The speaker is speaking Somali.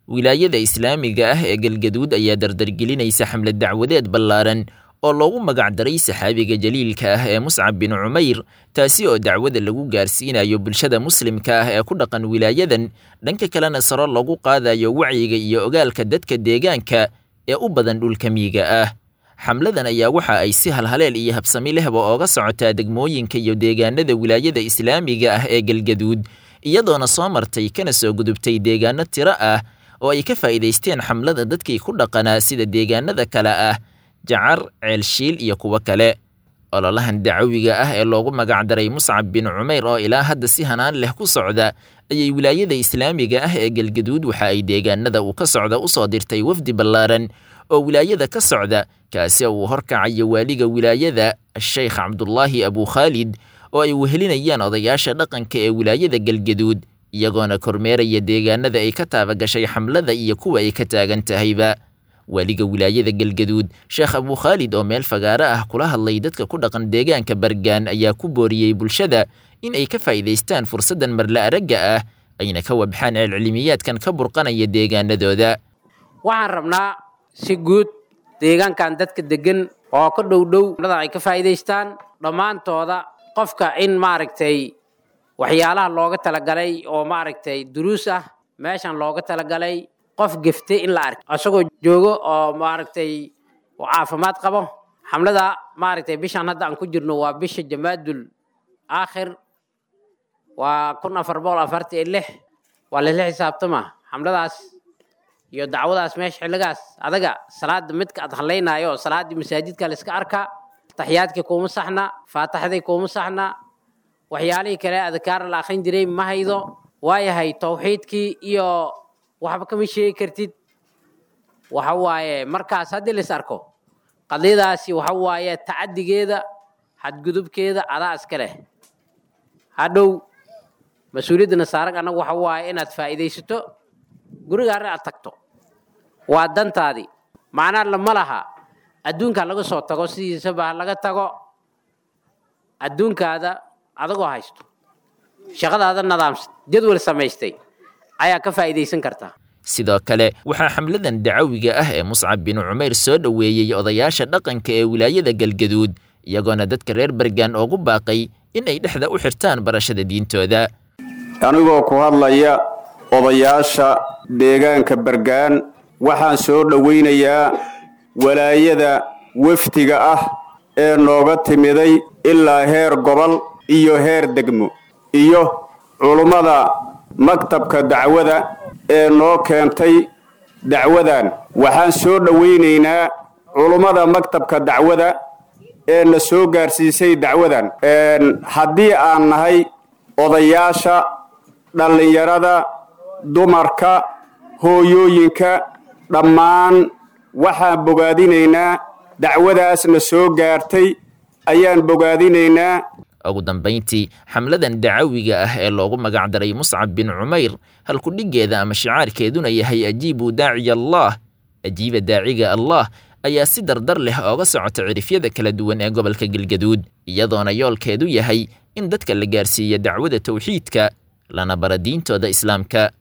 Wilaayada islaamiga ah ee Galgaduud ayaa dardargelinaysa xamlad dacwadeed ballaaran oo loogu magacdaray saxaabiga jaliilka ah ee Muscab bin Cumayr, taasi oo dacwada lagu gaarsiinayo bulshada muslimka ah ee ku dhaqan wilaayadan, dhanka kalena saro lagu qaadayo wacyiga iyo ogaalka dadka deegaanka ee u badan dhulka miyiga ah. Xamladan ayaa waxa ay si halhaleel iyo habsami lehba ooga socotaa degmooyinka iyo deegaanada wilaayada islaamiga ah ee Galgaduud, iyadoona soo martay kana soo gudubtay deegaano tiro ah oo ay ka faa'iidaysteen xamlada dadkii ku dhaqanaa, sida deegaanada kale ah Jacar, Ceelshiil iyo kuwo kale. Ololahan dacawiga ah ee loogu magacdaray Muscab bin Cumayr oo ilaa hadda si hanaan leh ku socda ayay wilaayada islaamiga ah ee Galgaduud waxa ay deegaanada uu ka socda u soo dirtay wafdi ballaaran oo wilaayada ka socda, kaasi oo uu horkacayo waaliga wilaayada Sheikh Cabdulaahi Abu Khaalid, oo ay wehelinayaan odayaasha dhaqanka ee wilaayada Galgaduud, iyagoona kormeeraya deegaanada ay ka taabagashay xamlada iyo kuwa ay ka taagan tahayba. Waaliga wilaayada Galgaduud Sheekh Abu Khaalid oo meel fagaaro ah kula hadlay dadka ku dhaqan deegaanka Bargaan ayaa ku booriyey bulshada in ay ka faa'iidaystaan fursaddan marla aragga ah, ayna ka wabxaan celcilmiyaadkan ka burqanaya deegaanadooda. Waxaan rabnaa si guud deegaankan dadka degan oo ka dhow dhow ay ka faa'iidaystaan dhammaantooda, qofka in maaragtay waxyaalaha looga talagalay oo maaragtay duruus ah meeshan looga talagalay, qof geftay in la arko isagoo joogo oo maaragtay oo caafimaad qabo. Xamlada maaragtay bishan hadda aan ku jirno waa bisha Jamaadul Aakhir, waa 1446, waa lala xisaabtama xamladaas iyo dacwadaas meesha xilligaas adaga salaada midka aad hadlaynayo, salaadii masaajidka la iska arkaa, taxiyaadkii kuuma saxna, faataxdii kuuma saxna, waxyaalihii kale adkaar la akhrin jiray ma haydo, waayahay tawxiidkii iyo waxba kama sheegi kartid. Waxa waaye markaas haddii la is arko qadiyadaasi waxa waaye tacadigeeda xadgudubkeeda adaa iska leh, hadhow mas-uuliyaddana saaran annagu waxa waaye inaad faa'iidaysato, gurigaana aad tagto, waa dantaadii. Macnaa lama laha adduunka laga soo tago, sidiisaba ha laga tago adduunkaada adagoo haysto shaqadaada nadaamsan jadwal samaystay ayaa ka faa'iidaysan kartaa. Sidoo kale waxaa xamladan dacawiga ah ee Muscab bin Cumayr soo dhoweeyey odayaasha dhaqanka ee wilaayada Galgaduud, iyagoona dadka reer Bargaan ugu baaqay in ay dhexda u xirtaan barashada diintooda. Anigoo ku hadlaya odayaasha deegaanka Bargaan, waxaan soo dhowaynayaa walaayada wafdiga ah ee nooga timiday ilaa heer gobol iyo heer degmo, iyo culummada maktabka dacwada ee noo keentay dacwadan. Waxaan soo dhowaynaynaa culummada maktabka dacwada ee na soo gaarsiisay dacwadan. Haddii aan nahay odayaasha, dhallinyarada, dumarka, hooyooyinka, dhammaan waxaan bogaadinaynaa dacwadaasna soo gaartay ayaan bogaadinaynaa. Ugu dambayntii, xamladan dacawiga ah ee loogu magacdaray Muscab bin Cumayr, halkudhiggeeda ama shicaarkeeduna yahay ajiibuu daaciya Allah, ajiiba daaciga Allah, ayaa si dardar leh ooga socota cirifyada kala duwan ee gobolka Galgaduud, iyadoona yoolkeedu yahay in dadka la gaarsiiyo dacwada tawxiidka lana bara diintooda islaamka.